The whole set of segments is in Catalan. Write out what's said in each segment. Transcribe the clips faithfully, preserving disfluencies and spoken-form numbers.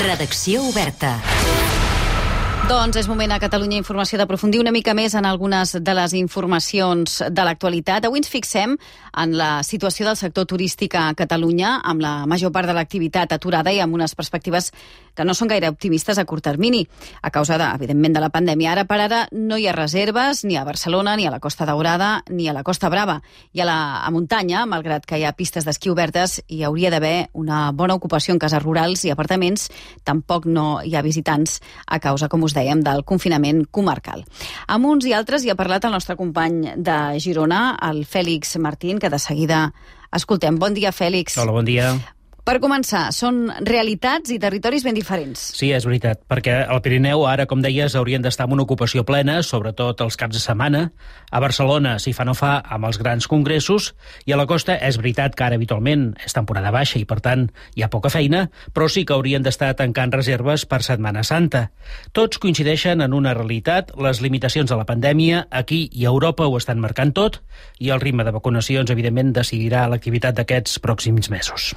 Redacció oberta. Doncs és moment a Catalunya Informació d'aprofundir una mica més en algunes de les informacions de l'actualitat. Avui ens fixem en la situació del sector turístic a Catalunya, amb la major part de l'activitat aturada i amb unes perspectives que no són gaire optimistes a curt termini, a causa, de, evidentment, de la pandèmia. Ara per ara no hi ha reserves ni a Barcelona, ni a la Costa Daurada, ni a la Costa Brava. I a la a muntanya, malgrat que hi ha pistes d'esquí obertes, hi hauria d'haver una bona ocupació en cases rurals i apartaments. Tampoc no hi ha visitants a causa, com us dèiem, del confinament comarcal. Amb uns i altres hi ha parlat el nostre company de Girona, el Fèlix Martín, que de seguida escoltem. Bon dia, Fèlix. Hola, bon dia. Per començar, són realitats i territoris ben diferents. Sí, és veritat, perquè al Pirineu ara, com deies, haurien d'estar en una ocupació plena, sobretot els caps de setmana. A Barcelona, si fa no fa, amb els grans congressos, i a la costa és veritat que ara habitualment és temporada baixa i, per tant, hi ha poca feina, però sí que haurien d'estar tancant reserves per Setmana Santa. Tots coincideixen en una realitat, les limitacions de la pandèmia aquí i a Europa ho estan marcant tot, i el ritme de vacunacions, evidentment, decidirà l'activitat d'aquests pròxims mesos.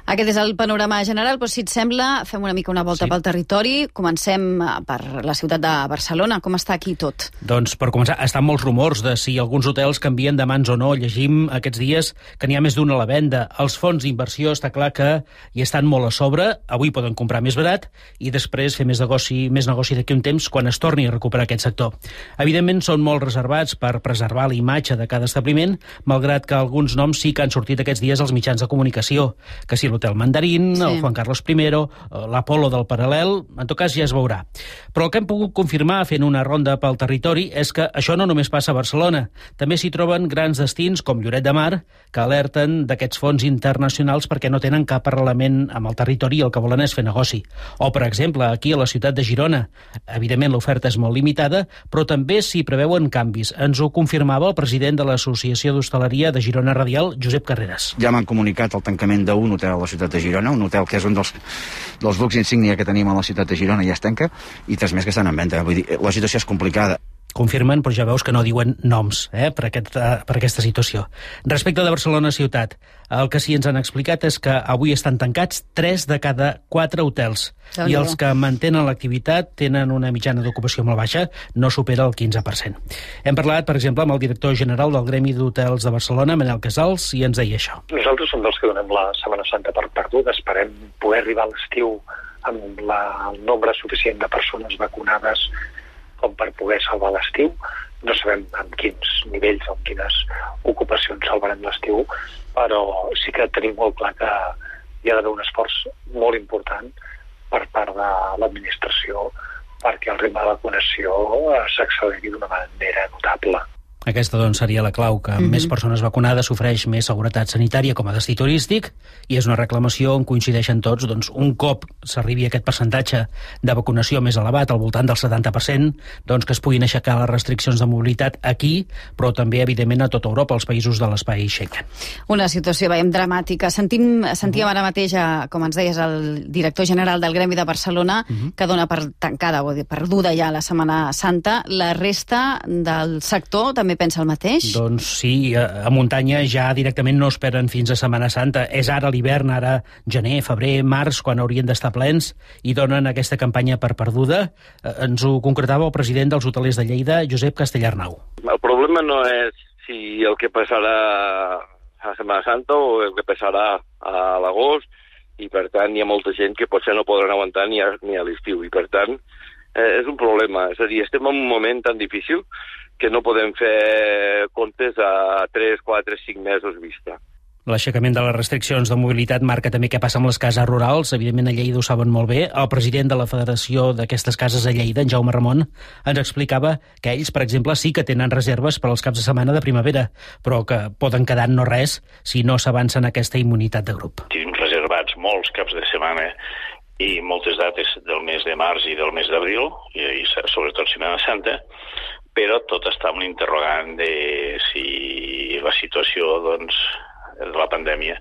Aquest és el panorama general, però si et sembla, fem una mica una volta sí. pel territori. Comencem per la ciutat de Barcelona. Com està aquí tot? Doncs, per començar, estan molts rumors de si alguns hotels canvien de mans o no. Llegim aquests dies que n'hi ha més d'una a la venda. Els fons d'inversió està clar que hi estan molt a sobre. Avui poden comprar més barat i després fer més negoci, més negoci d'aquí un temps quan es torni a recuperar aquest sector. Evidentment, són molt reservats per preservar la imatge de cada establiment, malgrat que alguns noms sí que han sortit aquests dies als mitjans de comunicació, que si l'Hotel Mandarín, sí. el Juan Carlos primero, l'Apolo del Paral·lel, en tot cas ja es veurà. Però el que hem pogut confirmar fent una ronda pel territori és que això no només passa a Barcelona. També s'hi troben grans destins com Lloret de Mar, que alerten d'aquests fons internacionals perquè no tenen cap arrelament amb el territori i el que volen és fer negoci. O, per exemple, aquí a la ciutat de Girona. Evidentment l'oferta és molt limitada, però també s'hi preveuen canvis. Ens ho confirmava el president de l'Associació d'Hostaleria de Girona Radial, Josep Carreras. Ja m'han comunicat el tancament d'un hotel a la ciutat de Girona, un hotel que és un dels, dels bucs insígnia que tenim a la ciutat de Girona, ja es tanca, i tres més que estan en venda. Vull dir, la situació és complicada. Confirmen, però ja veus que no diuen noms eh, per, aquest, per aquesta situació. Respecte de Barcelona ciutat, el que sí ens han explicat és que avui estan tancats tres de cada quatre hotels, i els que mantenen l'activitat tenen una mitjana d'ocupació molt baixa, no supera el quinze per cent. Hem parlat, per exemple, amb el director general del Gremi d'Hotels de Barcelona, Manel Casals, i ens deia això. Nosaltres som dels que donem la Setmana Santa per perduda, esperem poder arribar a l'estiu amb la, el nombre suficient de persones vacunades com per poder salvar l'estiu. No sabem en quins nivells o en quines ocupacions salvarem l'estiu, però sí que tenim molt clar que hi ha d'haver un esforç molt important per part de l'administració perquè el ritme de vacunació s'acceleri d'una manera notable. Aquesta, doncs, seria la clau, que amb mm-hmm. més persones vacunades s'ofereix més seguretat sanitària com a destí turístic, i és una reclamació on coincideixen tots, doncs, un cop s'arribi a aquest percentatge de vacunació més elevat, al voltant del setanta per cent, doncs que es puguin aixecar les restriccions de mobilitat aquí, però també, evidentment, a tota Europa, als països de l'espai Schengen. Una situació, veiem, dramàtica. Sentim, sentíem ara mateix, a, com ens deies, el director general del Gremi de Barcelona, mm-hmm. que dona per tancada o perduda ja la Setmana Santa. La resta del sector també pensa el mateix? Doncs sí, a, a muntanya ja directament no esperen fins a Setmana Santa. És ara l'hivern, ara gener, febrer, març, quan haurien d'estar plens, i donen aquesta campanya per perduda. Eh, ens ho concretava el president dels hotelers de Lleida, Josep Castellarnau. El problema no és si el que passarà a Setmana Santa o el que passarà a l'agost, i per tant hi ha molta gent que potser no podran aguantar ni a, ni a l'estiu, i per tant eh, és un problema. És a dir, estem en un moment tan difícil que no podem fer comptes a tres, quatre, cinc mesos vista. L'aixecament de les restriccions de mobilitat marca també què passa amb les cases rurals. Evidentment, a Lleida ho saben molt bé. El president de la Federació d'aquestes cases a Lleida, en Jaume Ramon, ens explicava que ells, per exemple, sí que tenen reserves per als caps de setmana de primavera, però que poden quedar en no res si no s'avança en aquesta immunitat de grup. Tenim reservats molts caps de setmana i moltes dates del mes de març i del mes d'abril, i, i sobretot Setmana Santa, però tot està amb l'interrogant de si la situació, doncs, de la pandèmia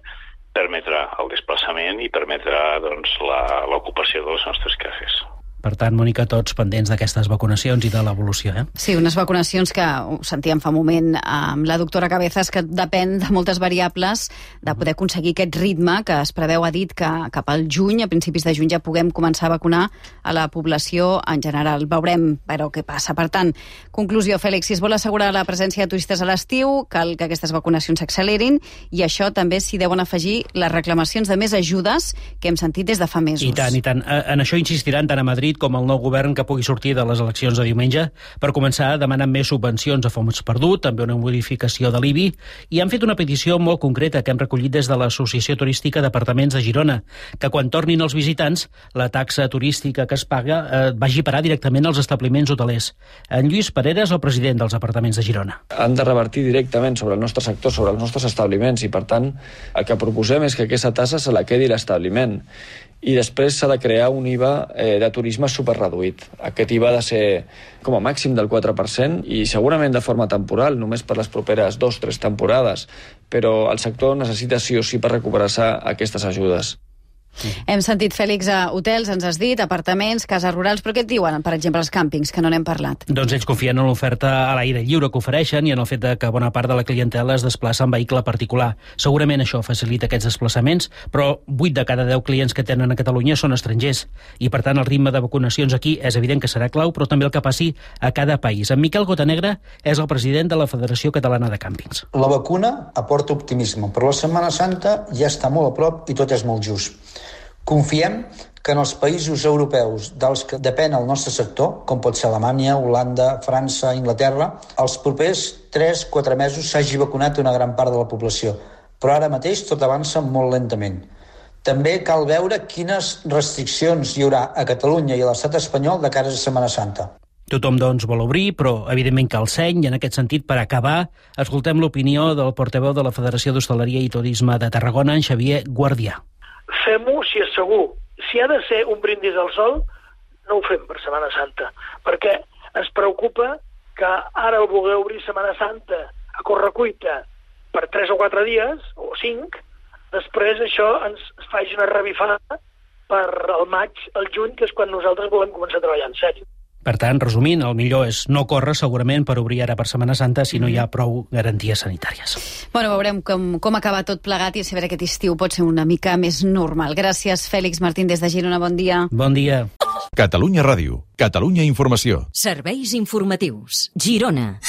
permetrà el desplaçament i permetrà, doncs, la, l'ocupació de les nostres cases. Per tant, Mònica, tots pendents d'aquestes vacunacions i de l'evolució, eh? Sí, unes vacunacions que ho sentíem fa un moment amb la doctora Cabezas, que depèn de moltes variables de poder aconseguir aquest ritme que es preveu, ha dit, que cap al juny, a principis de juny, ja puguem començar a vacunar a la població en general. Veurem, però, què passa. Per tant, conclusió, Fèlix, si es vol assegurar la presència de turistes a l'estiu, cal que aquestes vacunacions s'accelerin, i això també s'hi deuen afegir les reclamacions de més ajudes que hem sentit des de fa mesos. I tant, i tant. En això insistiran tant a Madrid com el nou govern que pugui sortir de les eleccions de diumenge per començar a demanar més subvencions a fons perdut, també una modificació de l'I B I, i han fet una petició molt concreta que hem recollit des de l'Associació Turística d'Apartaments de Girona, que quan tornin els visitants, la taxa turística que es paga eh, vagi a parar directament als establiments hotelers. En Lluís Parera és el president dels Apartaments de Girona. Han de revertir directament sobre el nostre sector, sobre els nostres establiments, i per tant el que proposem és que aquesta tassa se la quedi l'establiment. I després s'ha de crear un I V A eh, de turisme superreduït. Aquest I V A ha de ser com a màxim del quatre per cent i segurament de forma temporal, només per les properes dos o tres temporades, però el sector necessita sí o sí per recuperar-se aquestes ajudes. Sí. Hem sentit, Fèlix, a hotels, ens has dit, apartaments, cases rurals, però què et diuen, per exemple, els càmpings, que no n'hem parlat? Doncs ells confien en l'oferta a l'aire lliure que ofereixen i en el fet de que bona part de la clientela es desplaça en vehicle particular. Segurament això facilita aquests desplaçaments, però vuit de cada deu clients que tenen a Catalunya són estrangers i, per tant, el ritme de vacunacions aquí és evident que serà clau, però també el que passi a cada país. En Miquel Gotanegra és el president de la Federació Catalana de Càmpings. La vacuna aporta optimisme, però la Setmana Santa ja està molt a prop i tot és molt just. Confiem que en els països europeus dels que depèn el nostre sector, com pot ser Alemanya, Holanda, França, Inglaterra, els propers tres a quatre mesos s'hagi vacunat una gran part de la població, però ara mateix tot avança molt lentament. També cal veure quines restriccions hi haurà a Catalunya i a l'estat espanyol de cara a Setmana Santa. Tothom, doncs, vol obrir, però evidentment cal seny, i en aquest sentit, per acabar, escoltem l'opinió del portaveu de la Federació d'Hostaleria i Turisme de Tarragona, en Xavier Guardià. Fem-ho si és segur. Si ha de ser un brindis al sol, no ho fem per Setmana Santa, perquè ens preocupa que ara el voler obrir Setmana Santa a correcuita per tres o quatre dies, o cinc, després això ens faci una revifada per el maig, el juny, que és quan nosaltres volem començar a treballar en sèrio. Per tant, resumint, el millor és no córrer segurament per obrir ara per Setmana Santa si no hi ha prou garanties sanitàries. Bueno, veurem com, com acaba tot plegat i si veure aquest estiu pot ser una mica més normal. Gràcies, Fèlix Martín, des de Girona. Bon dia. Bon dia. Catalunya Ràdio. Catalunya Informació. Serveis informatius. Girona.